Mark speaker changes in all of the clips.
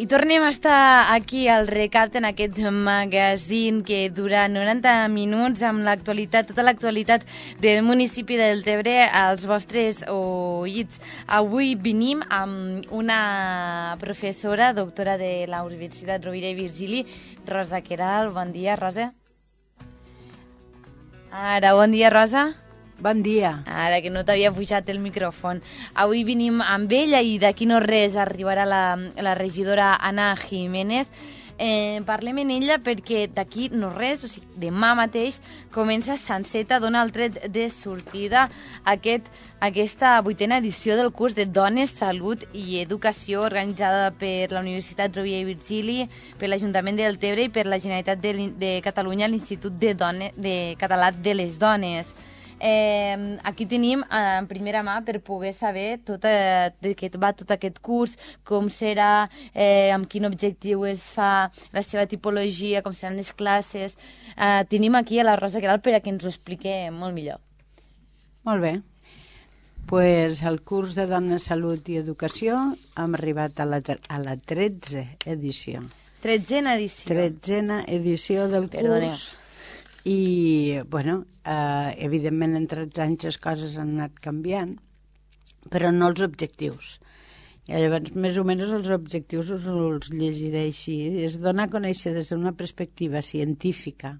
Speaker 1: I tornem a estar aquí al Recap en aquest magazín que dura 90 minuts amb l'actualitat, tota l'actualitat del municipi de Deltebre als vostres oïts. Avui venim amb una professora, doctora de la Universitat Rovira i Virgili, Rosa Queralt. Bon dia, Rosa. Ara, bon dia, Rosa.
Speaker 2: Bon dia.
Speaker 1: Ara que no t'havia pujat el micròfon. Avui venim amb ella i d'aquí no res arribarà la regidora Anna Jiménez. Parlem en ella perquè d'aquí no res, o sigui, demà mateix comença Sanseta, dona el tret de sortida a aquesta 8a edició del curs de Dones, Salut i Educació organitzada per la Universitat Rovira i Virgili, per l'Ajuntament de Deltebre i per la Generalitat de Catalunya, l'Institut Català de les Dones. Aquí tenim en primera mà per poder saber de què va tot aquest curs, com serà, amb quin objectiu es fa, la seva tipologia, com seran les classes. Tenim aquí a la Rosa Queralt per a que ens ho expliqui molt millor.
Speaker 2: Molt bé. Pues el curs de Dones, Salut i Educació hem arribat a la 13a edició.
Speaker 1: 13a edició.
Speaker 2: 13a edició del curs. I, bueno, evidentment entre els anys les coses han anat canviant, però no els objectius. I llavors, més o menys, els objectius els llegiré així. És donar a conèixer des d'una perspectiva científica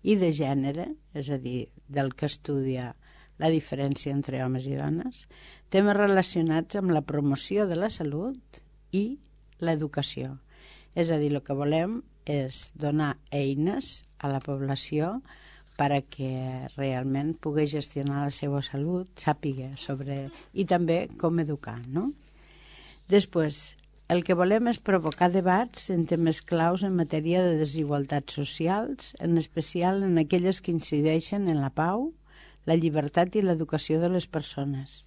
Speaker 2: i de gènere, és a dir, del que estudia la diferència entre homes i dones, temes relacionats amb la promoció de la salut i l'educació. És a dir, el que volem és donar eines a la població perquè realment pugui gestionar la seva salut, sàpiga sobre... i també com educar, no? Després, el que volem és provocar debats en temes claus en matèria de desigualtats socials, en especial en aquelles que incideixen en la pau, la llibertat i l'educació de les persones.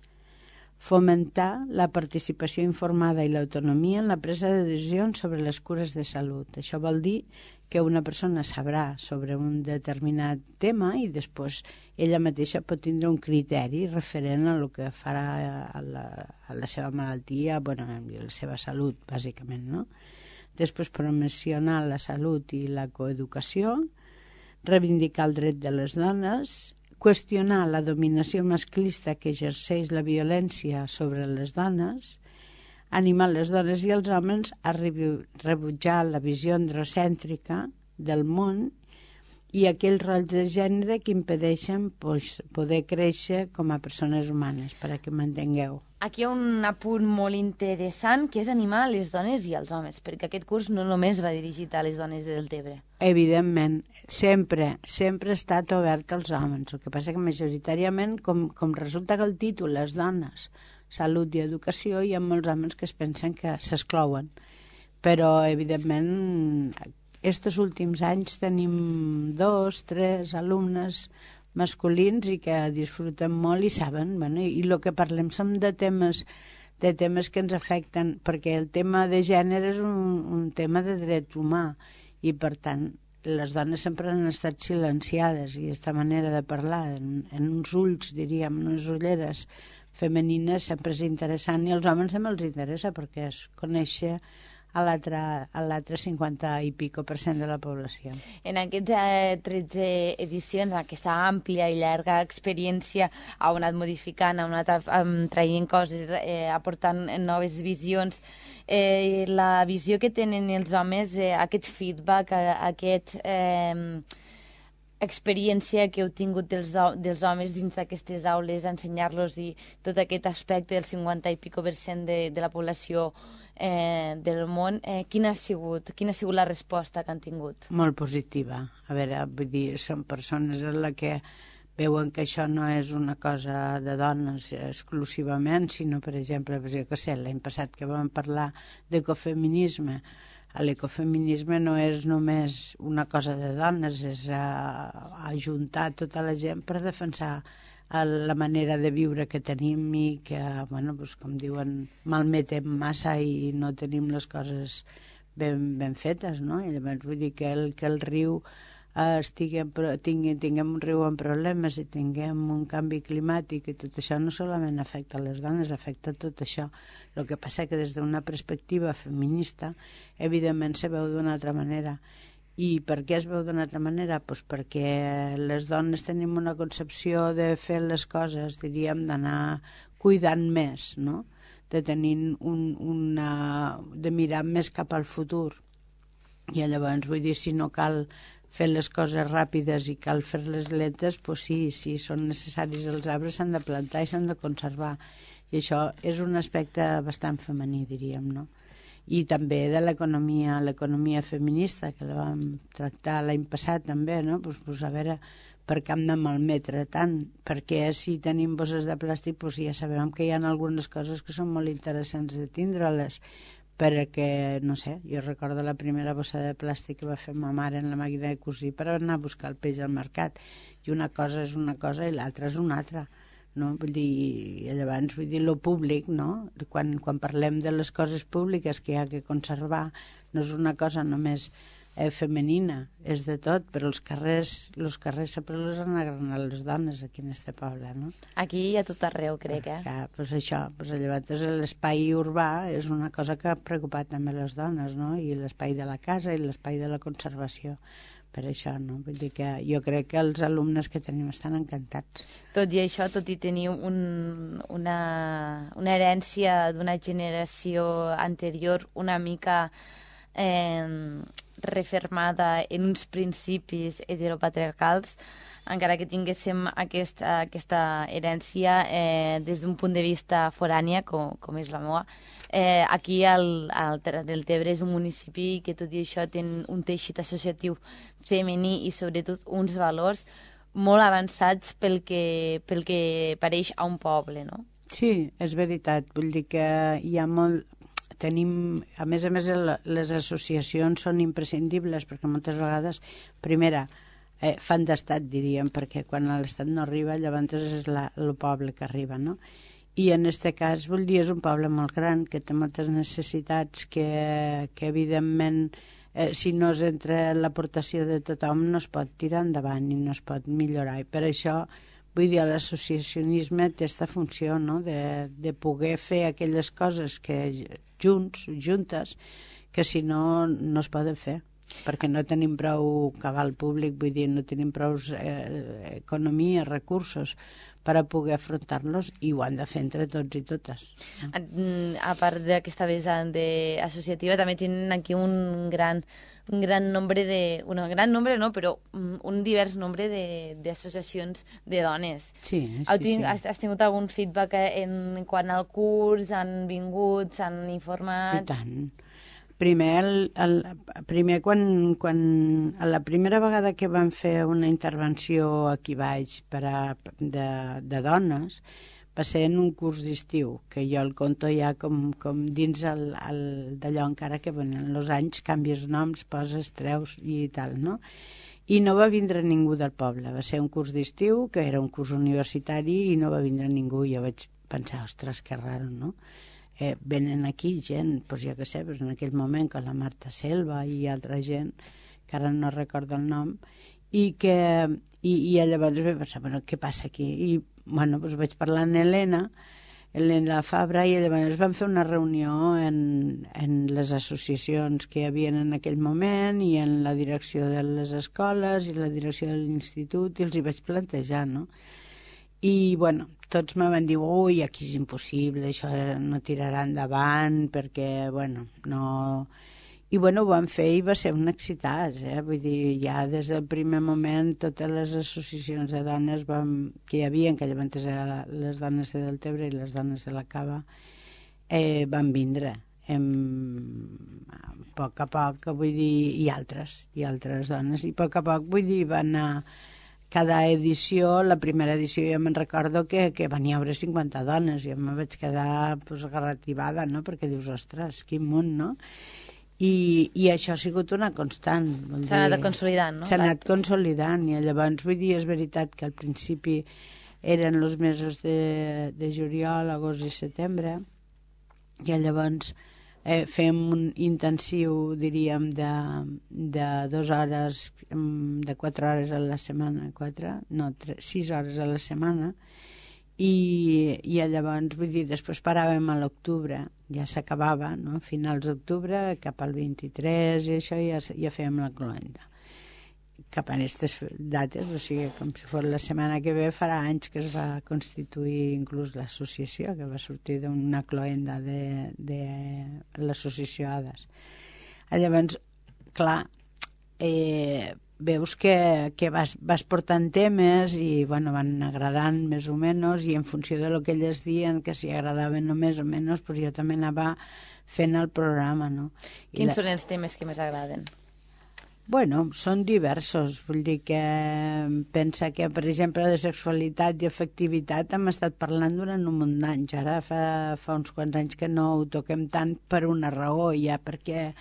Speaker 2: Fomentar la participació informada i l'autonomia en la presa de decisions sobre les cures de salut. Això vol dir que una persona sabrà sobre un determinat tema i després ella mateixa pot tindre un criteri referent a el que farà a la seva malaltia, bueno, a la seva salut, bàsicament, no? Després promocionar la salut i la coeducació, reivindicar el dret de les dones, qüestionar la dominació masclista que exerceix la violència sobre les dones, animar les dones i els homes a rebutjar la visió androcèntrica del món i aquells rols de gènere que impedeixen poder créixer com a persones humanes, perquè m'entengueu.
Speaker 1: Aquí hi ha un apunt molt interessant, que és animar les dones i els homes, perquè aquest curs no només va dirigit a les dones de Deltebre.
Speaker 2: Evidentment, sempre ha estat obert als homes. El que passa que majoritàriament, com resulta que el títol és Dones, Salut i Educació, hi ha molts homes que es pensen que s'exclouen. Però, evidentment, estos últims anys tenim 2, 3 alumnes masculins i que disfruten molt i saben, bueno, i el que parlem són de temes que ens afecten, perquè el tema de gènere és un tema de dret humà i, per tant, les dones sempre han estat silenciades i aquesta manera de parlar en uns ulls, diríem, en unes ulleres femenines sempre és interessant i als homes també els interessa perquè es conèixer a l'altre 50 i pico % de la població.
Speaker 1: En aquestes 13 edicions, en aquesta àmplia i llarga experiència, ha anat modificant, ha anat traient coses, aportant noves visions. La visió que tenen els homes, aquest feedback, experiència que heu tingut dels homes dins d'aquestes aules, ensenyar-los i tot aquest aspecte del 50 i pico % de la població del món, quina ha sigut la resposta que han tingut?
Speaker 2: Molt positiva. A veure, vull dir, són persones en la que veuen que això no és una cosa de dones exclusivament, sinó, per exemple, jo què sé, l'any passat que vam parlar d'ecofeminisme, l'ecofeminisme no és només una cosa de dones, és ajuntar tota la gent per defensar la manera de viure que tenim i que, bueno, doncs, com diuen, malmetem massa i no tenim les coses ben fetes, no? I llavors vull dir que el riu tinguem un riu amb problemes i tinguem un canvi climàtic, i tot això no solament afecta les dones, afecta tot això. El que passa que des d'una perspectiva feminista, evidentment se veu d'una altra manera. I per què es veu d'una altra manera? Pues perquè les dones tenim una concepció de fer les coses, diríem, d'anar cuidant més, no? De tenir de mirar més cap al futur. I llavors, vull dir, si no cal fer les coses ràpides i cal fer-les lentes, pues sí, són necessaris els arbres, s'han de plantar i s'han de conservar. I això és un aspecte bastant femení, diríem, no? I també de l'economia feminista, que la vam tractar l'any passat també, no? Pues a veure, per què hem de malmetre tant? Perquè si tenim bosses de plàstic, pues ja sabem que hi ha algunes coses que són molt interessants de tindre-les, perquè, no sé, jo recordo la primera bossa de plàstic que va fer ma mare en la màquina de cosir per anar a buscar el peix al mercat, i una cosa és una cosa i l'altra és una altra, no? Vull dir, llavors, vull dir, lo públic, no? Quan parlem de les coses públiques que hi ha que conservar, no és una cosa només femenina, és de tot, però els carrers sempre els han agranat les dones aquí en este poble, no?
Speaker 1: Aquí i a tot arreu, crec,
Speaker 2: Pues això, llavors l'espai urbà és una cosa que ha preocupat també les dones, no? I l'espai de la casa i l'espai de la conservació. Per això, no? Vull dir que jo crec que els alumnes que tenim estan encantats.
Speaker 1: Tot i això, tot i tenir una herència d'una generació anterior una mica refermada en uns principis heteropatriarcals, encara que tinguéssim aquesta herència des d'un punt de vista forània, com és la meva, aquí el Deltebre és un municipi que tot i això té un teixit associatiu femení i sobretot uns valors molt avançats pel que pareix a un poble, no?
Speaker 2: Sí, és veritat. Vull dir que hi ha molt... Tenim, a més, les associacions són imprescindibles perquè moltes vegades, primera, fan d'estat, diríem, perquè quan l'estat no arriba, llavors és el poble que arriba, no? I en aquest cas, vull dir, és un poble molt gran que té moltes necessitats que evidentment, si no és entre l'aportació de tothom, no es pot tirar endavant i no es pot millorar. I per això, vull dir, l'associacionisme té aquesta funció, no?, de poder fer aquelles coses que juntes, que si no es poden fer, perquè no tenim prou cabal públic, vull dir, no tenim prou economia, recursos per a poder afrontar-los, i ho han de fer entre tots i totes.
Speaker 1: A part d'aquesta vessant associativa, també tenen aquí un gran nombre però un divers nombre d'associacions de dones.
Speaker 2: Sí.
Speaker 1: Has tingut algun feedback en quant al curs? Han vingut, s'han informat?
Speaker 2: I tant. Primer, quan la primera vegada que vam fer una intervenció aquí baix de dones, va ser en un curs d'estiu, que jo el conto ja com dins d'allò, encara que venen els anys, canvies noms, poses, treus i tal, no? I no va vindre ningú del poble. Va ser un curs d'estiu, que era un curs universitari, i no va vindre ningú. Jo vaig pensar, ostres, que raro, no? Venen aquí gent, doncs jo què sé, en aquell moment, com la Marta Selva i altra gent, que ara no recordo el nom, i llavors vaig pensar, bueno, què passa aquí? I, bueno, doncs vaig parlar amb Helena Fabra, i llavors vam fer una reunió en les associacions que hi havia en aquell moment i en la direcció de les escoles i la direcció de l'institut, i els hi vaig plantejar, no? I, bueno, tots me van dir, ui, aquí és impossible, això no tirarà endavant, perquè, bueno, no... I, bueno, ho van fer i va ser un excitat, Vull dir, ja des del primer moment totes les associacions de dones que hi havia, que llavors eren les dones de Deltebre i les dones de la Cava, van vindre. A poc a poc, vull dir, i altres dones, i a poc, vull dir, van anar... Cada edició, la primera edició, jo me'n recordo que van haver 50 dones. Jo me vaig quedar garrativada, no?, perquè dius, ostres, quin munt, no? I això ha sigut una constant.
Speaker 1: S'ha anat consolidant, no?
Speaker 2: S'ha anat consolidant, i llavors, vull dir, és veritat que al principi eren els mesos de juliol, agost i setembre, i llavors fem un intensiu, diríem, de 2 hores, de 4 hores a la setmana, 6 hores a la setmana, i llavors, vull dir, després paràvem a l'octubre, ja s'acabava, no? A finals d'octubre, cap al 23, i això ja fèiem la cloenda. Cap a aquestes dates, o sigui, com si fos la setmana que ve, farà anys que es va constituir inclús l'associació, que va sortir d'una cloenda de l'associació ADAS. Llavors, clar, veus que vas portant temes i bueno, van agradant més o menys, i en funció de lo que elles diuen, que si agradaven o més o menys, pues jo també anava fent el programa, no?
Speaker 1: Quins són els temes que més agraden?
Speaker 2: Bueno, són diversos. Vull dir que pensa que, per exemple, de sexualitat i afectivitat hem estat parlant durant un munt d'anys. Ara fa uns quants anys que no ho toquem tant per una raó, ja perquè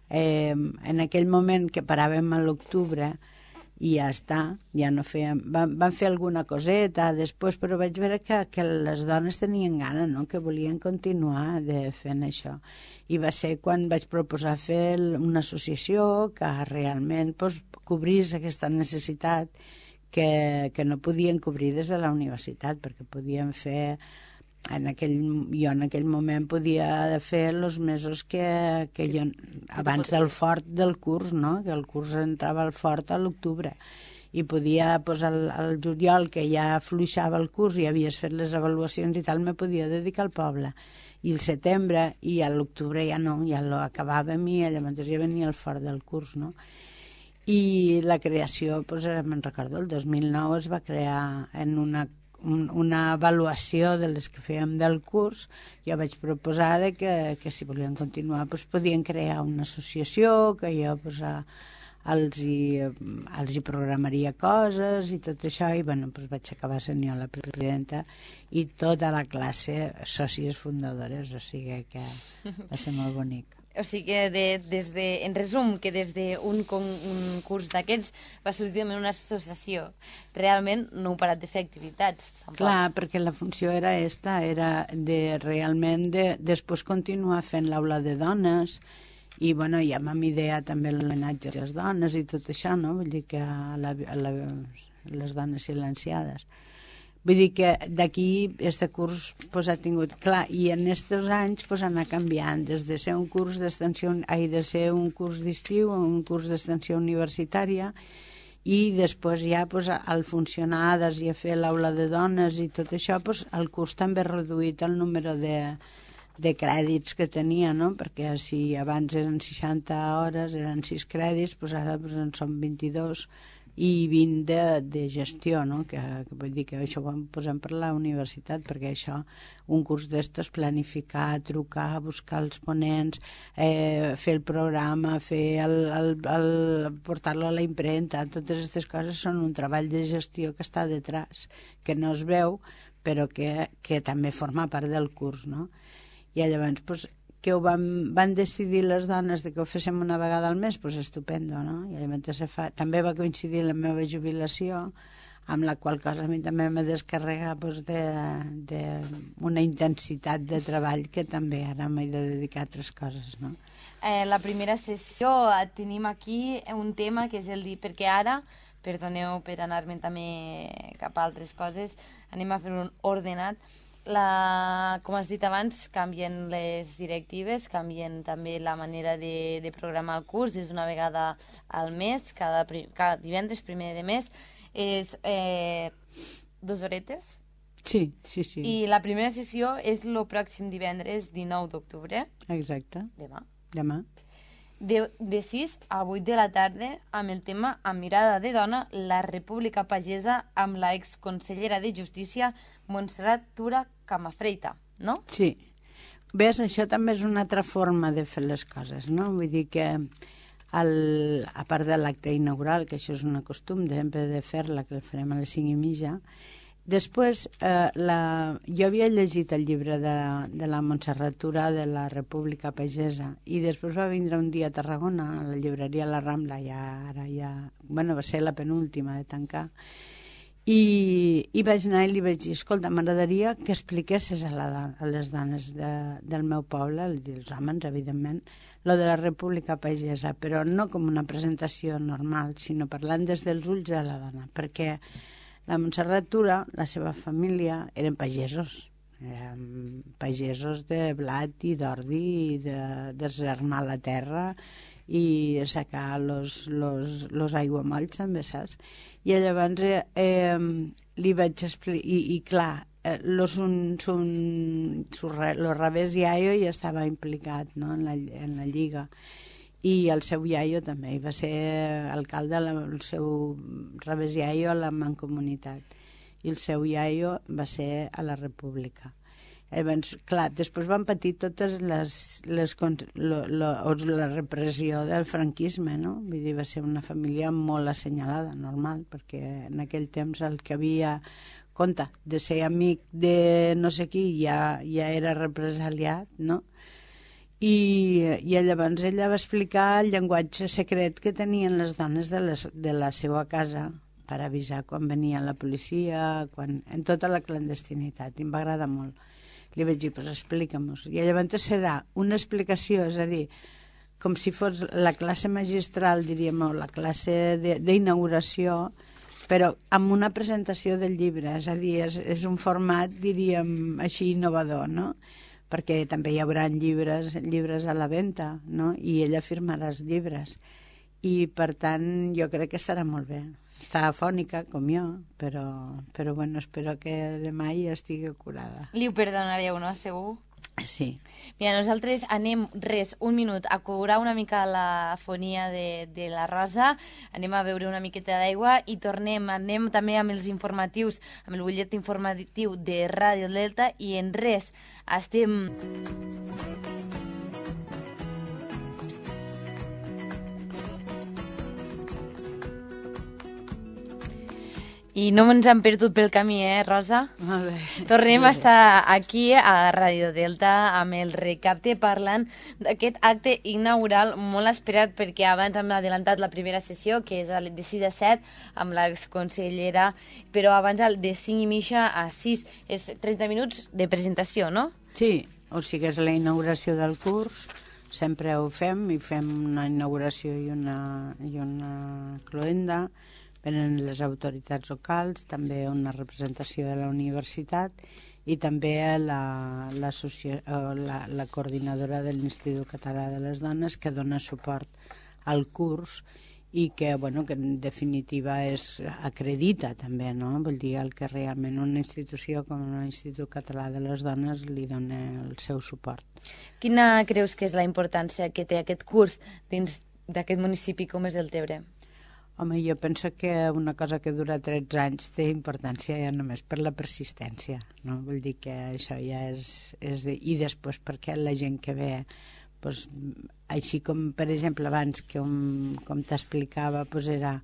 Speaker 2: en aquell moment que paràvem a l'octubre i ja està, ja no fèiem... Van fer alguna coseta després, però vaig veure que les dones tenien gana, no? Que volien continuar fent això. I va ser quan vaig proposar fer una associació que realment cobrís aquesta necessitat que no podien cobrir des de la universitat, perquè podien fer... Jo en aquell moment podia fer els mesos que jo, abans del fort del curs, no? Que el curs entrava al fort a l'octubre, i podia, al juliol, que ja fluixava el curs i havies fet les avaluacions i tal, me podia dedicar al poble, i el setembre, i a l'octubre ja no, ja l'acabàvem, i llavors ja venia el fort del curs, no? I la creació, me'n recordo, el 2009 es va crear en una avaluació de les que fèiem del curs. Jo vaig proposar que si volien continuar podien crear una associació, que jo els hi programaria coses i tot això, i bueno, vaig acabar sent jo la presidenta i tota la classe sòcies fundadores, o sigui que va ser molt bonic.
Speaker 1: O sigui que en resum, que des d'un curs d'aquests va sortir una associació. Realment no heu parat de fer activitats. Tampoc. Clar,
Speaker 2: perquè la funció era realment després continuar fent l'aula de dones, i bueno, ja vam idear també l'homenatge a les dones i tot això, no? Vull dir que a les dones silenciades. Vull dir que d'aquí este curs ha tingut... Clar, i en aquests anys ha anat canviant, des de ser un curs d'extensió, de ser un curs d'estiu a un curs d'extensió universitària, i després ja al funcionar i a fer l'aula de dones i tot això, el curs també ha reduït el número de crèdits que tenia, no? Perquè si abans eren 60 hores, eren 6 crèdits, ara en són 22, i 20 de gestió, no? Que vull dir que això ho posem per la universitat, perquè això, un curs d'estos, planificar, trucar, buscar els ponents, fer el programa, portar-lo a la impremta, totes aquestes coses són un treball de gestió que està detrás, que no es veu, però que també forma part del curs, no? I llavors, que van decidir les dones que ho féssim una vegada al mes, estupendo, no? I llavors també va coincidir la meva jubilació, amb la qual cosa a mi també me descarrega d'una intensitat de treball que també ara m'he de dedicar a altres coses, no?
Speaker 1: La primera sessió tenim aquí un tema que és perquè ara, perdoneu per anar-me'n també cap a altres coses, anem a fer un ordenat. Com has dit abans, canvien les directives, canvien també la manera de programar el curs, és una vegada al mes, cada divendres, primer de mes, és 2 horetes.
Speaker 2: Sí.
Speaker 1: I la primera sessió és el pròxim divendres 19 d'octubre.
Speaker 2: Exacte. Demà.
Speaker 1: De 6 a 8 de la tarda, amb el tema Amb mirada de dona, la República Pagesa, amb la exconsellera de Justícia, Montserrat Tura Camafreita, no?
Speaker 2: Sí. Ves, això també és una altra forma de fer les coses, no? Vull dir que, a part de l'acte inaugural, que això és un costum sempre de fer-la, que el farem a les 5:30, després, jo havia llegit el llibre de la Montserrat Tura de la República Pagesa, i després va vindre un dia a Tarragona, a la llibreria La Rambla, va ser la penúltima de tancar, I vaig anar i li vaig dir, escolta, m'agradaria que expliquessis a les dones del meu poble, els homes, evidentment, lo de la República Pagesa, però no com una presentació normal, sinó parlant des dels ulls de la dona, perquè la Montserrat Tura, la seva família, eren pagesos, pagesos de blat i d'ordi, i de desarmar la terra i assecar los aiguamolls, també, saps? I llavors li vaig explicar, i clar, lo revés iaio ja estava implicat, no? en la lliga, i el seu iaio també, i va ser alcalde, el seu revés iaio a la Mancomunitat, i el seu iaio va ser a la República. Llavors, clar, després van patir totes la repressió del franquisme, no? Vull dir, va ser una família molt assenyalada, normal, perquè en aquell temps el que havia, compte, de ser amic de no sé qui ja era represaliat, no? I llavors ella va explicar el llenguatge secret que tenien les dones de la seva casa per avisar quan venia la policia, en tota la clandestinitat, i em va agradar molt. Li vaig dir, pues explica-mos. I llavors serà una explicació, és a dir, com si fos la classe magistral, diríem, o la classe d'inauguració, però amb una presentació del llibre, és a dir, és un format, diríem, així innovador, no? Perquè també hi haurà llibres a la venda, no? I ella firmarà els llibres. I, per tant, jo crec que estarà molt bé. Està afònica, com jo, però bueno, espero que demà ja estigui curada.
Speaker 1: Li ho perdonareu, no? Segur?
Speaker 2: Sí.
Speaker 1: Mira, nosaltres anem, un minut, a curar una mica la fonia de la Rosa, anem a beure una miqueta d'aigua i anem també amb els informatius, amb el butllet informatiu de Ràdio Delta, i en res estem... I no ens hem perdut pel camí, Rosa?
Speaker 2: Molt bé.
Speaker 1: Tornem a estar aquí a Ràdio Delta amb el Recapte parlant d'aquest acte inaugural molt esperat, perquè abans hem adelantat la primera sessió, que és de 6 a 7, amb l'exconsellera, però abans de 5 i mitja a 6. És 30 minuts de presentació, no?
Speaker 2: Sí, o sigui, és la inauguració del curs, sempre ho fem, i fem una inauguració i una cloenda. Venen les autoritats locals, també una representació de la universitat i també la coordinadora de l'Institut Català de les Dones, que dona suport al curs i que, bueno, que en definitiva acredita també, no? Vull dir, el que realment una institució com l'Institut Català de les Dones li dona el seu suport.
Speaker 1: Quina creus que és la importància que té aquest curs dins d'aquest municipi com és Deltebre?
Speaker 2: Home, jo penso que una cosa que dura 13 anys té importància ja només per la persistència, no? Vull dir que això ja I després perquè la gent que ve, doncs, així com, per exemple, abans, que com t'explicava, doncs era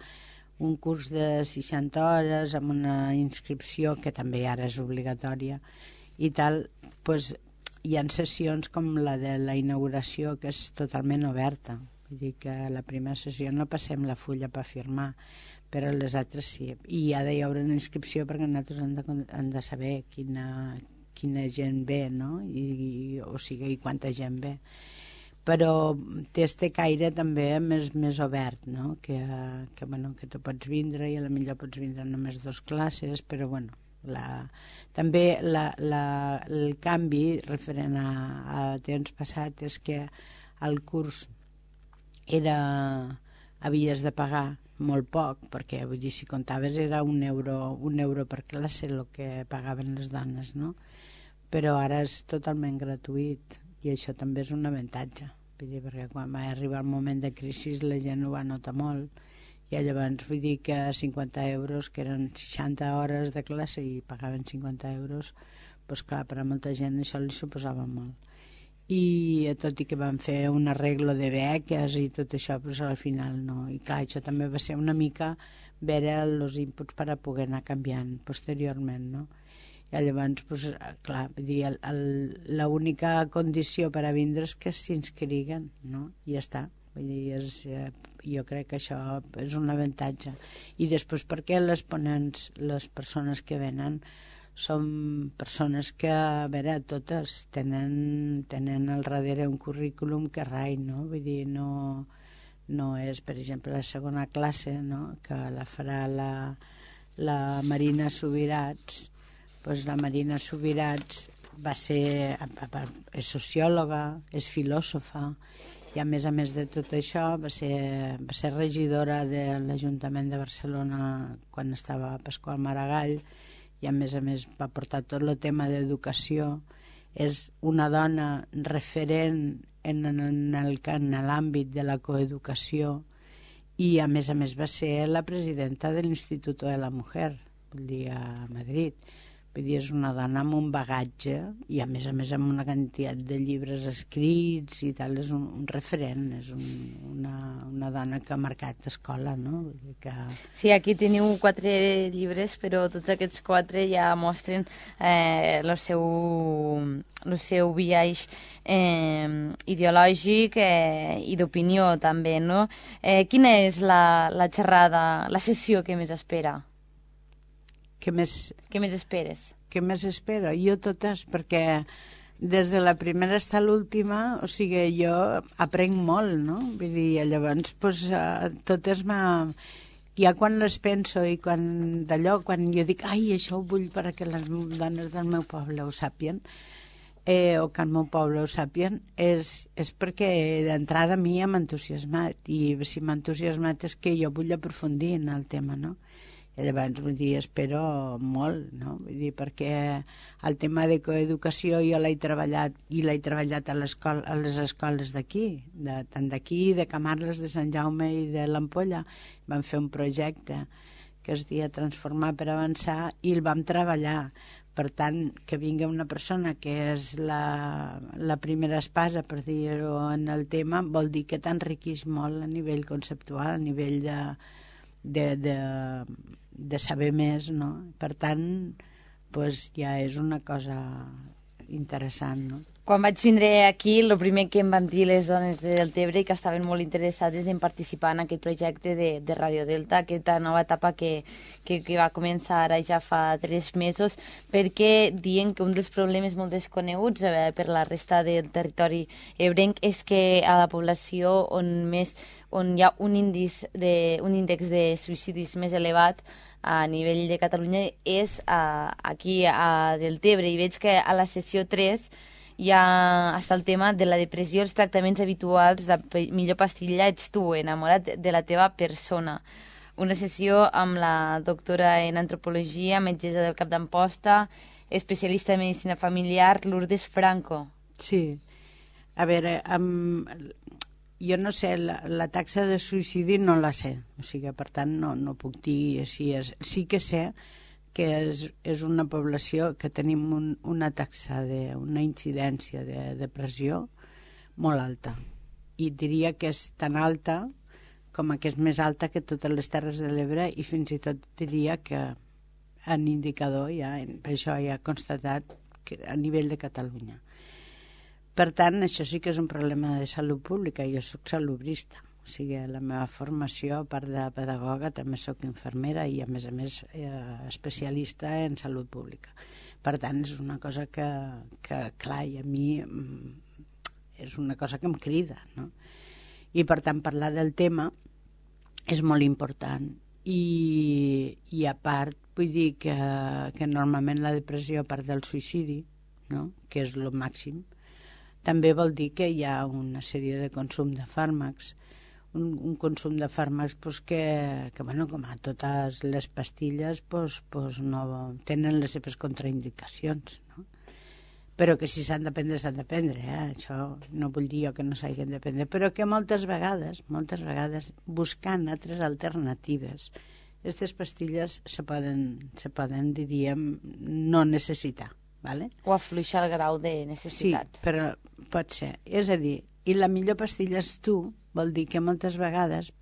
Speaker 2: un curs de 60 hores amb una inscripció que també ara és obligatòria i tal, doncs hi ha sessions com la de la inauguració, que és totalment oberta. Vull dir que a la primera sessió no passem la fulla per firmar, però les altres sí. I ha d'hi haure una inscripció perquè nosaltres hem de saber quina gent ve, no? O sigui, i quanta gent ve. Però té este caire també més obert, no? Que tu pots vindre i a la millor pots vindre només 2 classes, però bueno, també el canvi referent a temps passat és que el curs havies de pagar molt poc, perquè vull dir, si comptaves era un euro per classe el que pagaven les dones, no? Però ara és totalment gratuït i això també és un avantatge, vull dir, perquè quan va arribar el moment de crisi la gent ho va notar molt i llavors vull dir que 50 euros, que eren 60 hores de classe i pagaven 50 euros, doncs clar, per a molta gent això li suposava molt. I tot i que van fer un arreglo de beques i tot això, però al final no. I clar, això també va ser una mica veure els inputs per a poder anar canviant posteriorment, no? I llavors, doncs, clar, vull dir, l'única condició per a vindre és que s'inscriguen, no? I ja està. Vull dir, jo crec que això és un avantatge. I després perquè les ponents, les persones que venen, són persones que, a veure, totes tenen al darrere un currículum que rai, no? Vull dir, no és, per exemple, la segona classe, no?, que la farà la Marina Subirats. Doncs la Marina Subirats és sociòloga, és filòsofa, i a més de tot això va ser regidora de l'Ajuntament de Barcelona quan estava Pasqual Maragall, i a més va portar tot el tema d'educació. És una dona referent en l'àmbit de la coeducació, i a més va ser la presidenta de l'Instituto de la Mujer, vull dir, a Madrid. Vull dir, és una dona amb un bagatge i a més amb una quantitat de llibres escrits i tal, és un referent, és una dona que ha marcat escola, no? Vull dir que...
Speaker 1: Sí, aquí teniu 4 llibres, però tots aquests 4 ja mostren el seu biaix ideològic i d'opinió també, no? Quina és la xerrada, la sessió que més espera? Què més esperes?
Speaker 2: Què més espero? Jo totes, perquè des de la primera fins a l'última, o sigui, jo aprenc molt, no? Vull dir, llavors, doncs, totes ja quan les penso i quan jo dic, ai, això ho vull perquè les dones del meu poble ho sàpien, o que el meu poble ho sàpien, és perquè d'entrada a mi m'ha entusiasmat, i si m'ha entusiasmat és que jo vull aprofundir en el tema, no? I llavors, vull dir, espero molt, no? Vull dir, perquè el tema de coeducació jo l'he treballat a les escoles d'aquí, tant d'aquí, de Camarles, de Sant Jaume i de l'Ampolla. Vam fer un projecte que es deia Transformar per Avançar i el vam treballar. Per tant, que vingui una persona que és la primera espasa, per dir-ho, en el tema, vol dir que t'enriqueix molt a nivell conceptual, a nivell de saber més, no? Per tant, doncs ja és una cosa interessant, no?
Speaker 1: Quan vaig vindre aquí, el primer que em van dir les dones de Deltebre que estaven molt interessades en participar en aquest projecte de Radio Delta, aquesta nova etapa que va començar ara ja fa 3 mesos, perquè diuen que un dels problemes molt desconeguts per la resta del territori ebrenc és que a la població on hi ha un índex de suïcidis més elevat a nivell de Catalunya és aquí a Deltebre, i veig que a la sessió 3 ja està el tema de la depressió, els tractaments habituals, la millor pastilla ets tu, enamorat de la teva persona. Una sessió amb la doctora en antropologia, metgessa del Cap d'Amposta, especialista en medicina familiar, Lourdes Franco.
Speaker 2: Sí. A veure, jo no sé, la taxa de suïcidi no la sé, o sigui, per tant no puc dir si és... Sí que sé que és una població que tenim una taxa, una incidència de depressió molt alta. I diria que és tan alta com que és més alta que totes les Terres de l'Ebre, i fins i tot diria que en indicador per això ja ha constatat que a nivell de Catalunya. Per tant, això sí que és un problema de salut pública. Jo soc salubrista. O sigui, la meva formació, a part de pedagoga, també soc infermera i, a més, especialista en salut pública. Per tant, és una cosa que clar, i a mi és una cosa que em crida, no? I, per tant, parlar del tema és molt important. I a part, vull dir que normalment la depressió, a part del suïcidi, no?, que és el màxim, també vol dir que hi ha una sèrie de consum de fàrmacs, un consum de fàrmacs que bueno, com a totes les pastilles no tenen les seves contraindicacions, no? Però que si s'han de prendre, s'han de prendre, això no vull dir jo que no s'hagin de prendre, però que moltes vegades buscant altres alternatives, aquestes pastilles se poden, diríem, no necessitar, ¿vale?
Speaker 1: O afluixar el grau de necessitat.
Speaker 2: Sí, però pot ser. És a dir, i la millor pastilla és tu, vol dir que moltes vegades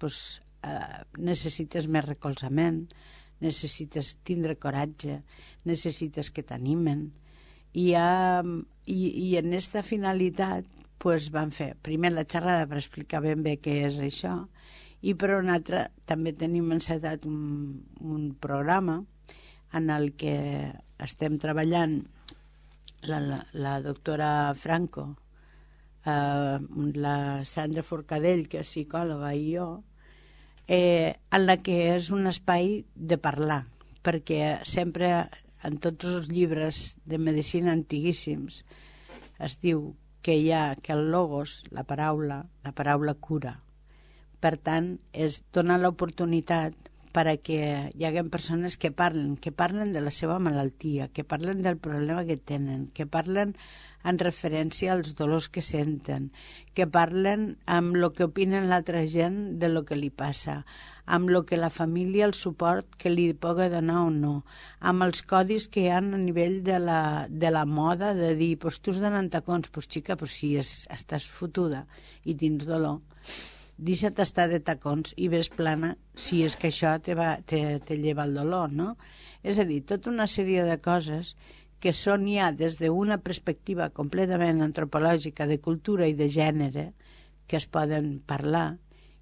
Speaker 2: necessites més recolzament, necessites tindre coratge, necessites que t'animen, i en aquesta finalitat doncs vam fer primer la xerrada per explicar ben bé què és això, i per una altra també tenim encetat un programa en el que estem treballant la doctora Franco, la Sandra Forcadell, que és psicòloga, i jo, en la que és un espai de parlar, perquè sempre en tots els llibres de medicina antiguíssims es diu que hi ha que el logos, la paraula cura. Per tant, és donar l'oportunitat perquè hi hagi persones que parlen de la seva malaltia, que parlen del problema que tenen, que parlen en referència als dolors que senten, que parlen amb el que opinen l'altra gent de lo que li passa, amb el que la família, el suport que li pugui donar o no, amb els codis que hi ha a nivell de la moda, de dir, pues tu has d'anar en tacons, pues xica, pues si estàs fotuda i tens dolor, deixa't estar de tacons i ves plana si és que això te lleva el dolor, no? És a dir, tota una sèrie de coses que són ja des d'una perspectiva completament antropològica, de cultura i de gènere, que es poden parlar,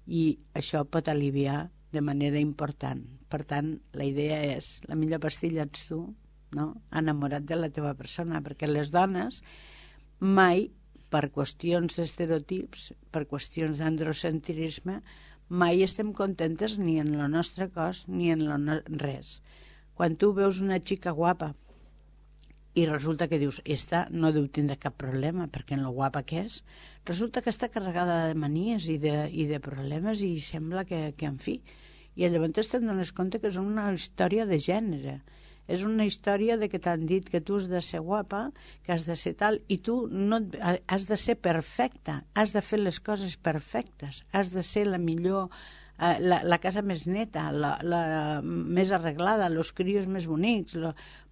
Speaker 2: i això pot aliviar de manera important. Per tant, la idea és, la millor pastilla ets tu, no? Enamorat de la teva persona, perquè les dones mai, per qüestions d'estereotips, per qüestions d'androcentrisme, mai estem contentes ni en el nostre cos ni en res. Quan tu veus una xica guapa i resulta que dius, esta no deu tindre cap problema, perquè en lo guapa que és, resulta que està carregada de manies i de problemes i sembla que en fi. I llavors te'n dones compte que és una història de gènere. És una història de que t'han dit que tu has de ser guapa, que has de ser tal, i tu no has de ser perfecta, has de fer les coses perfectes, has de ser la millor, la casa més neta, la més arreglada, els crios més bonics.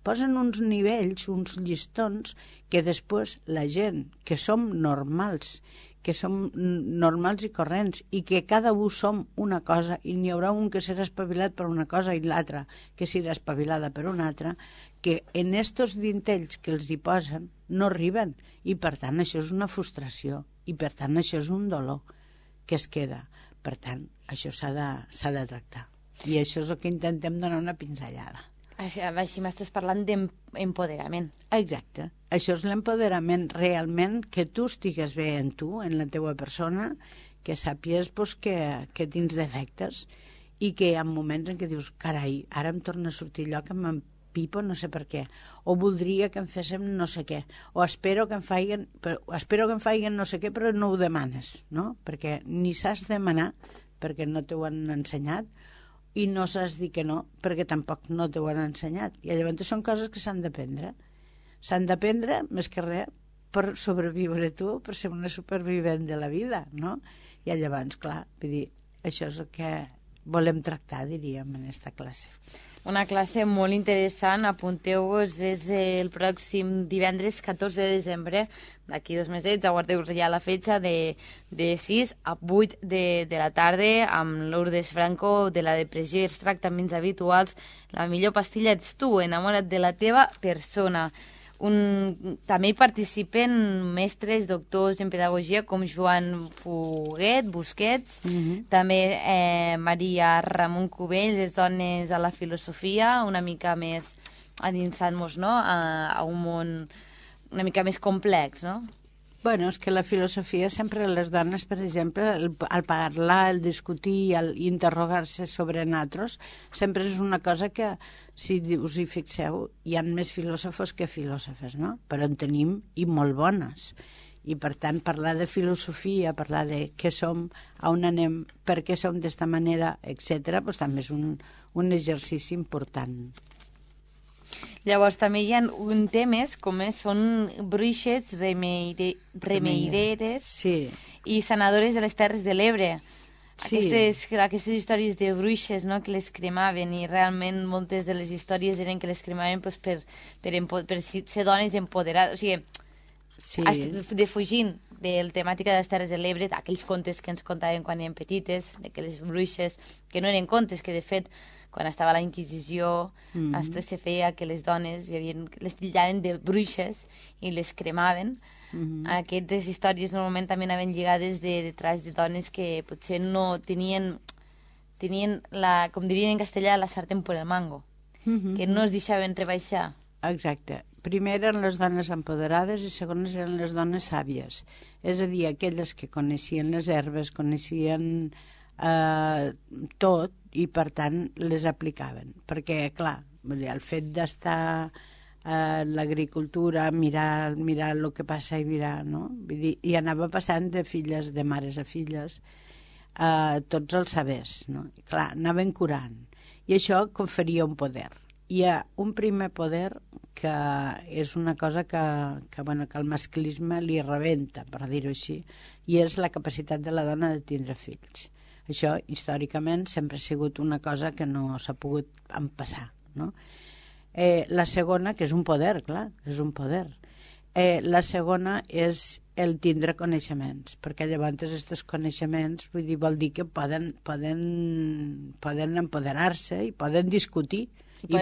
Speaker 2: Posen uns nivells, uns llistons, que després la gent, que som normals, i corrents, i que cada un som una cosa, i n'hi haurà un que serà espavilat per una cosa i l'altre que serà espavilada per una altra, que en estos dintells que els hi posen no arriben, i per tant això és una frustració, i per tant això és un dolor que es queda. Per tant, això s'ha de tractar, i això és el que intentem donar una pinzellada.
Speaker 1: Així m'estàs parlant d'empoderament.
Speaker 2: Exacte. Això és l'empoderament realment, que tu estigues bé en tu, en la teua persona, que sàpies que tens defectes i que hi ha moments en què dius, carai, ara em torna a sortir allò que m'empipo no sé per què, o voldria que em féssim no sé què, o espero que em faiguen no sé què, però no ho demanes, no? Perquè ni saps demanar, perquè no t'ho han ensenyat, i no saps dir que no, perquè tampoc no t'ho han ensenyat. I llavors són coses que s'han d'aprendre. S'han d'aprendre, més que res, per sobreviure tu, per ser una supervivent de la vida, no? I llavors, clar, vull dir, això és el que volem tractar, diríem, en aquesta classe.
Speaker 1: Una classe molt interessant, apunteu-vos, és el pròxim divendres 14 de desembre, d'aquí 2 mesets, aguardeu-vos ja la fetge de 6 a 8 de la tarda, amb Lourdes Franco, de la depressió i els tractaments habituals. La millor pastilla ets tu, enamora't de la teva persona. També hi participen mestres, doctors en pedagogia com Joan Fuguet, Busquets, també Maria Ramon Cubells, les dones a la filosofia, una mica més adinsant-nos, no?, a un món una mica més complex, no?
Speaker 2: Bueno, és que la filosofia sempre les dones, per exemple, el parlar, el discutir, el interrogar-se sobre nosaltres, sempre és una cosa que, si us hi fixeu, hi ha més filòsofos que filòsofes, no? Però en tenim i molt bones. I, per tant, parlar de filosofia, parlar de què som, on anem, per què som d'esta manera, etc., doncs també és un exercici important.
Speaker 1: Llavors també hi ha temes com són bruixes, remeireres i sanadores de les Terres de l'Ebre. Sí. Aquestes històries de bruixes, no?, que les cremaven, i realment moltes de les històries eren que les cremaven pues, per ser dones empoderades, o sigui, defugint de la temàtica de les Terres de l'Ebre, aquells contes que ens contaven quan érem petites, de que les bruixes, que no eren contes, que de fet quan estava la Inquisició, se feia que les dones les titllaven de bruixes i les cremaven, Aquestes històries normalment també anaven lligades detrás de dones que potser no tenien la, com dirien en castellà, la sartén por el mango, que no es deixaven rebaixar.
Speaker 2: Exacte. Primer eren les dones empoderades i segones eren les dones sàvies. És a dir, aquelles que coneixien les herbes, coneixien tot i, per tant, les aplicaven. Perquè, clar, el fet d'estar a l'agricultura, mirar el que passa i mirar, no? Vull dir, i anava passant de filles, de mares a filles, tots els sabers, no? I, clar, anaven curant. I això conferia un poder. Hi ha un primer poder que és una cosa que el masclisme li rebenta, per dir-ho així, i és la capacitat de la dona de tindre fills. Això, històricament, sempre ha sigut una cosa que no s'ha pogut empassar, no? La segona, que és un poder, clar, és un poder. La segona és el tindre coneixements, perquè llavors aquests coneixements vol dir que poden empoderar-se i poden discutir
Speaker 1: i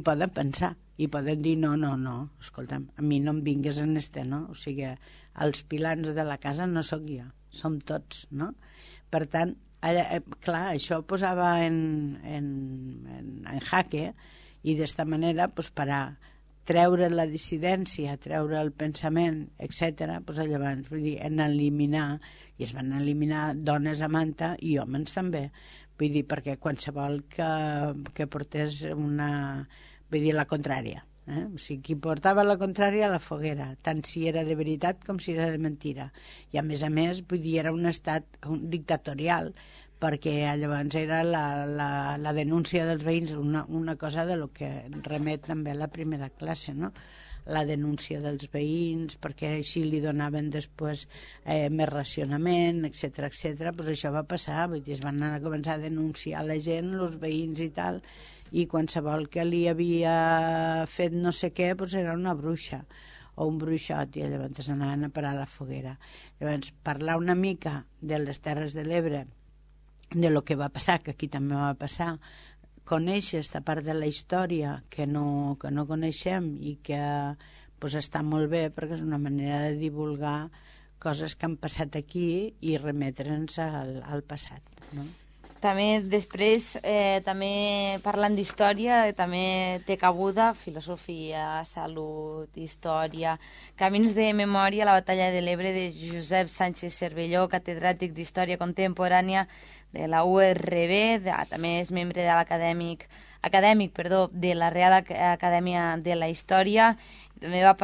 Speaker 2: poden pensar i poden dir no, escolta'm, a mi no em vingues en no? O sigui, els pilans de la casa no sóc jo, som tots, no? Per tant, clar, això posava en jaque i d'esta manera, per a treure la dissidència, treure el pensament, etc., llavors, vull dir, en eliminar, i es van eliminar dones a manta i homes també, vull dir, perquè qualsevol que portés la contrària, o sigui, qui portava la contrària a la foguera, tant si era de veritat com si era de mentira. I a més, vull dir, era un estat dictatorial, perquè llavors era la denúncia dels veïns, una cosa de lo que remet també a la primera classe, no? La denúncia dels veïns, perquè així li donaven després més racionament, etc. Doncs això va passar, vull dir, es van anar a començar a denunciar la gent, els veïns i tal, i qualsevol que li havia fet no sé què, doncs era una bruixa o un bruixot, i llavors anaven a parar a la foguera. Llavors, parlar una mica de les Terres de l'Ebre, de lo que va passar, que aquí també va passar, conèixer aquesta part de la història que no coneixem i que està molt bé, perquè és una manera de divulgar coses que han passat aquí i remetre'ns al passat, no?
Speaker 1: També després, també parlant d'història, també té cabuda filosofia, salut, història, camins de memòria, la batalla de l'Ebre de Josep Sánchez Cervelló, catedràtic d'Història Contemporània de la URB, també és membre de acadèmic de la Real Acadèmia de la Història. També ha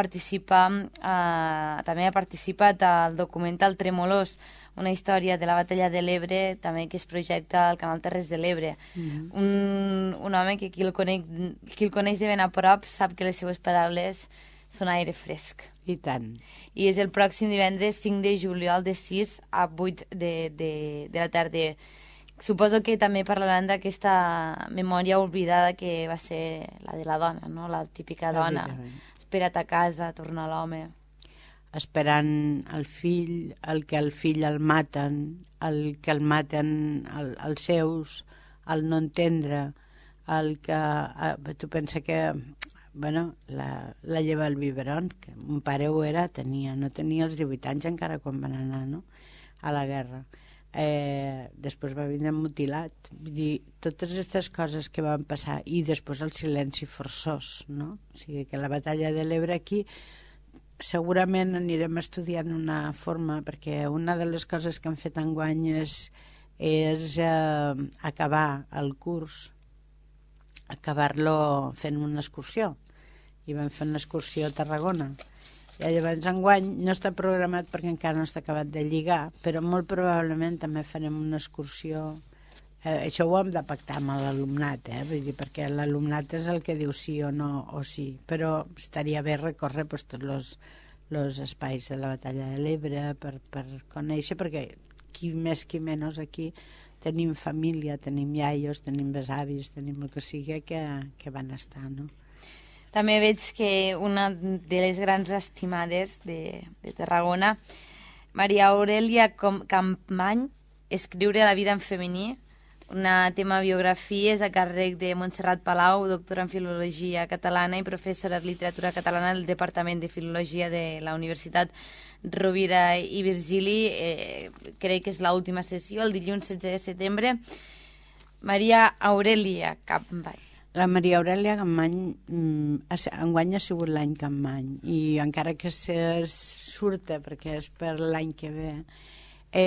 Speaker 1: participat al documental Tremolors, una història de la batalla de l'Ebre, també que es projecta al canal Terres de l'Ebre. Un home que qui el coneix de ben a prop sap que les seues paraules són aire fresc.
Speaker 2: I tant.
Speaker 1: I és el pròxim divendres 5 de juliol de 6 a 8 de la tarda. Suposo que també parlaran d'aquesta memòria oblidada que va ser la de la dona, no? La típica dona. Espera't a casa, torna l'home.
Speaker 2: Esperant el fill, el fill el maten, el que el maten els seus, el no entendre, el que... tu pensa que la lleva al biberon, que mon pare ho era, no tenia els 18 anys encara quan van anar, no?, a la guerra. Després va vindre mutilat. Vull dir, totes aquestes coses que van passar, i després el silenci forçós, no? O sigui, que la batalla de l'Ebre aquí segurament anirem estudiant una forma, perquè una de les coses que han fet enguany és acabar el curs, acabar-lo fent una excursió, i vam fer una excursió a Tarragona. I llavors enguany no està programat perquè encara no està acabat de lligar, però molt probablement també farem una excursió. Això ho hem de pactar amb l'alumnat, vull dir, perquè l'alumnat és el que diu sí o no o sí, però estaria bé recórrer tots els espais de la batalla de l'Ebre per conèixer, perquè qui més qui menys aquí tenim família, tenim iaios, tenim besavis, tenim el que sigui que van estar, no?
Speaker 1: També veig que una de les grans estimades de Tarragona, Maria Aurelia Campmany, Escriure la vida en femení, una tema biografies a càrrec de Montserrat Palau, doctora en Filologia Catalana i professora de Literatura Catalana del Departament de Filologia de la Universitat Rovira i Virgili. Crec que és l'última sessió, el dilluns 16 de setembre. Maria Aurelia Capmany.
Speaker 2: La Maria Aurelia Capmany enguany ha sigut l'any Capmany, i encara que surta perquè és per l'any que ve,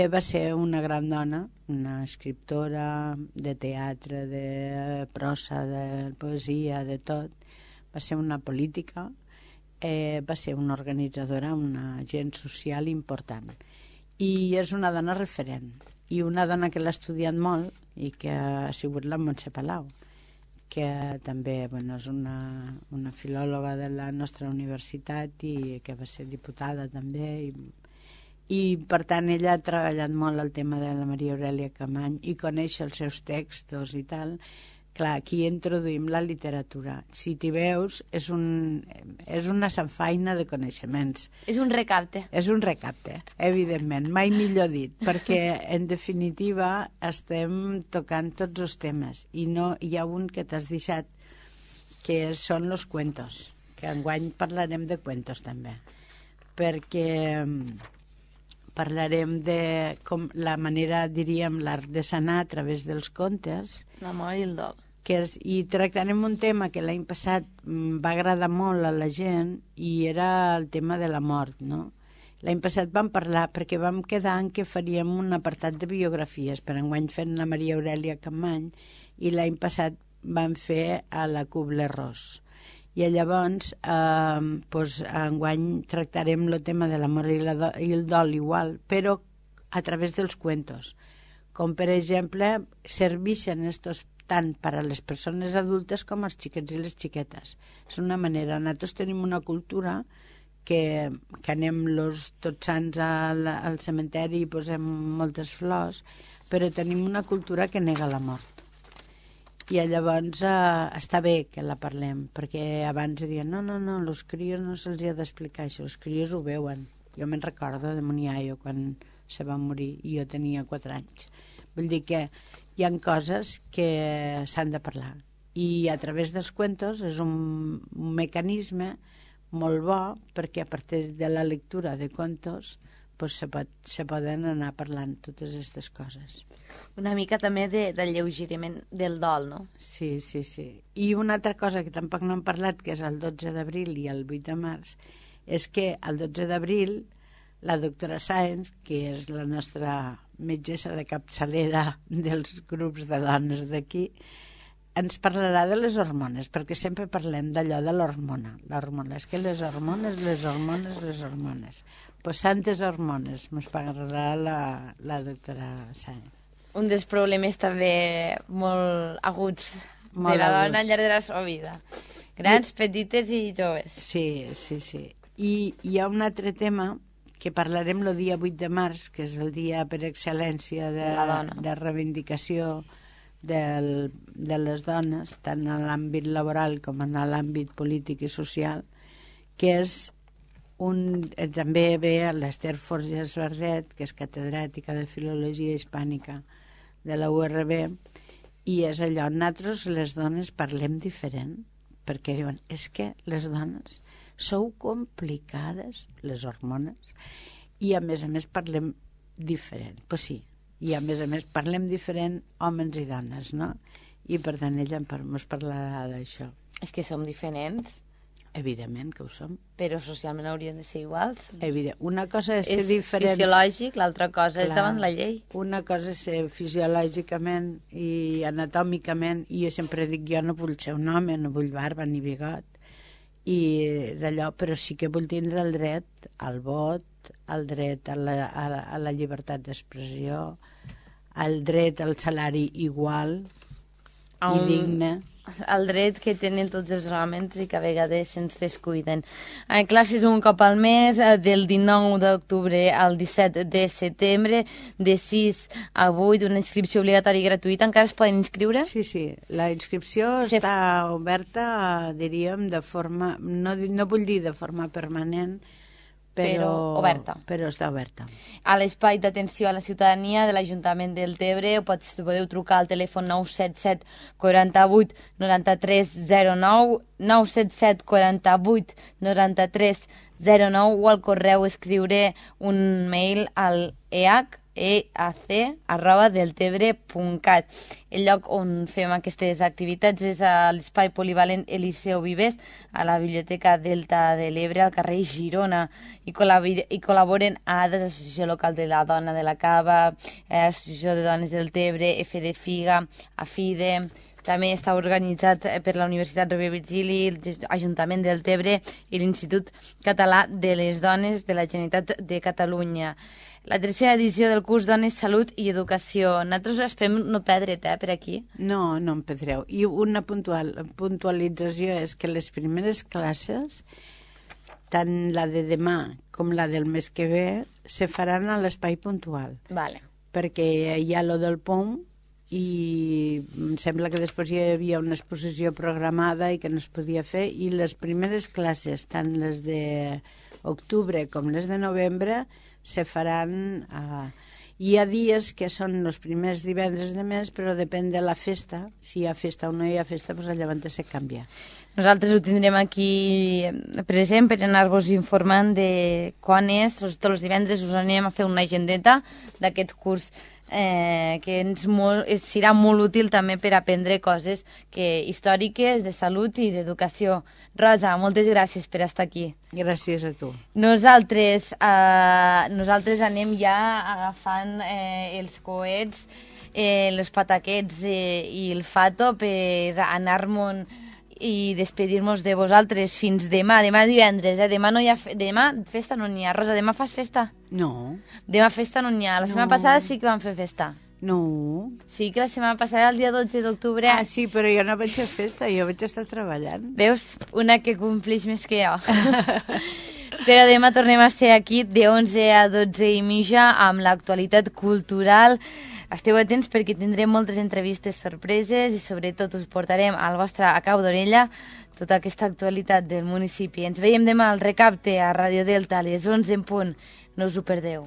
Speaker 2: va ser una gran dona, una escriptora de teatre, de prosa, de poesia, de tot. Va ser una política, va ser una organitzadora, una agent social important. I és una dona referent, i una dona que l'ha estudiat molt i que ha sigut la Montse Palau, que també és una filòloga de la nostra universitat i que va ser diputada també, i per tant ella ha treballat molt el tema de la Maria Aurelia Capmany i coneix els seus textos i tal. Clar, aquí introduïm la literatura. Si t'hi veus, és una sanfaina de coneixements.
Speaker 1: És un recapte.
Speaker 2: És un recapte, evidentment, mai millor dit, perquè en definitiva estem tocant tots els temes, i no hi ha un que t'has deixat, que són els cuentos, que enguany parlarem de cuentos també, perquè parlarem de com la manera, diríem, l'artesanà a través dels contes.
Speaker 1: L'amor i el dol.
Speaker 2: I tractarem un tema que l'any passat va agradar molt a la gent, i era el tema de la mort, no? L'any passat vam parlar perquè vam quedar en que faríem un apartat de biografies, per enguany fent la Maria Aurelia Capmany, i l'any passat vam fer a la Kubler-Ross. I llavors, enguany tractarem el tema de l'amor i el dol igual, però a través dels cuentos. Com, per exemple, serveixen estos tant per a les persones adultes com als xiquets i les xiquetes. És una manera. Nosaltres tenim una cultura que anem tots sants al cementeri i posem moltes flors, però tenim una cultura que nega la mort. I llavors està bé que la parlem, perquè abans diuen no, els crios no se'ls ha d'explicar això, els crios ho veuen. Jo me'n recordo de Moniaio quan se va morir i jo tenia 4 anys. Vull dir que hi ha coses que s'han de parlar, i a través dels cuentos és un mecanisme molt bo, perquè a partir de la lectura de contos se poden anar parlant totes aquestes coses.
Speaker 1: Una mica també de lleugeriment del dol, no?
Speaker 2: Sí. I una altra cosa que tampoc no hem parlat, que és el 12 d'abril i el 8 de març, és que el 12 d'abril la doctora Sáenz, que és la nostra metgessa de capçalera dels grups de dones d'aquí, ens parlarà de les hormones, perquè sempre parlem d'allò de l'hormona. L'hormona, és que les hormones. Pues santes hormones, ens parlarà la doctora Sáenz.
Speaker 1: Un dels problemes també molt aguts de la dona al llarg de la seva vida. Grans, petites i joves.
Speaker 2: Sí. I hi ha un altre tema que parlarem el dia 8 de març, que és el dia per excel·lència de reivindicació de les dones, tant en l'àmbit laboral com en l'àmbit polític i social, que és també ve l'Ester Forges Verdet, que és catedràtica de Filologia Hispànica de la URB, i és allò, nosaltres les dones parlem diferent, perquè diuen, és que les dones sou complicades, les hormones, i a més parlem diferent. Pues sí, i a més parlem diferent homes i dones, no? I per tant ella ens parlarà d'això.
Speaker 1: És que som diferents.
Speaker 2: Evidentment que ho som.
Speaker 1: Però socialment haurien de ser iguals.
Speaker 2: Evident. Una cosa és ser diferents.
Speaker 1: És fisiològic, l'altra cosa és davant la llei.
Speaker 2: Una cosa és ser fisiològicament i anatòmicament, i jo sempre dic, jo no vull ser un home, no vull barba ni bigot, i d'allò, però sí que vull tindre el dret al vot, el dret a la llibertat d'expressió, el dret al salari igual i digne.
Speaker 1: El dret que tenen tots els homes i que a vegades se'ns descuiden. Classes un cop al mes, del 19 d'octubre al 17 de setembre, de 6 a 8, una inscripció obligatòria i gratuïta. Encara es poden inscriure?
Speaker 2: Sí. La inscripció està oberta, diríem, de forma, no vull dir de forma permanent,
Speaker 1: però oberta.
Speaker 2: Però està oberta.
Speaker 1: A l'espai d'atenció a la ciutadania de l'Ajuntament del Tebre podeu trucar al telèfon 977 48 93 09, 977 48 93 09 o al correu escriure un mail al eac@deltebre.cat. El lloc on fem aquestes activitats és a l'espai polivalent Eliseu Vives, a la Biblioteca Delta de l'Ebre, al carrer Girona, i col·laboren ADES, Associació Local de la Dona de la Cava, Associació de Dones del Tebre, FD Figa, AFIDE. També està organitzat per la Universitat Rovira i Virgili, l'Ajuntament del Tebre i l'Institut Català de les Dones de la Generalitat de Catalunya. La tercera edició del curs Dones, Salut i Educació. Nosaltres esperem no perdre't, per aquí.
Speaker 2: No, no em perdreu. I una puntualització és que les primeres classes, tant la de demà com la del mes que ve, se faran a l'espai puntual.
Speaker 1: Vale.
Speaker 2: Perquè hi ha lo del POM i em sembla que després hi havia una exposició programada i que no es podia fer, i les primeres classes, tant les d'octubre com les de novembre, se faran... Hi ha dies que són els primers divendres de mes, però depèn de la festa. Si hi ha festa o no hi ha festa, doncs llavors se canvia.
Speaker 1: Nosaltres ho tindrem aquí present per anar-vos informant de quan és. Tots els divendres us anem a fer una agendeta d'aquest curs que serà molt útil també per aprendre coses històriques, de salut i d'educació. Rosa, moltes gràcies per estar aquí.
Speaker 2: Gràcies a tu.
Speaker 1: Nosaltres anem ja agafant els coets, els pataquets i el fato per anar-me'n i despedir-nos de vosaltres fins demà. Demà divendres, demà no hi ha demà festa no n'hi ha. Rosa, demà fas festa?
Speaker 2: No.
Speaker 1: Demà festa no n'hi ha. La setmana passada sí que vam fer festa.
Speaker 2: No.
Speaker 1: Sí que la setmana passada, el dia 12 d'octubre...
Speaker 2: Ah, sí, però jo no vaig fer festa, jo vaig estar treballant.
Speaker 1: Veus? Una que complix més que jo. Però demà tornem a ser aquí de 11 a 12 i mitja amb l'actualitat cultural. Esteu atents perquè tindrem moltes entrevistes sorpreses i sobretot us portarem al vostre a cau d'orella tota aquesta actualitat del municipi. Ens veiem demà al Recapte a Radio Delta a les 11 en punt. No us ho perdeu.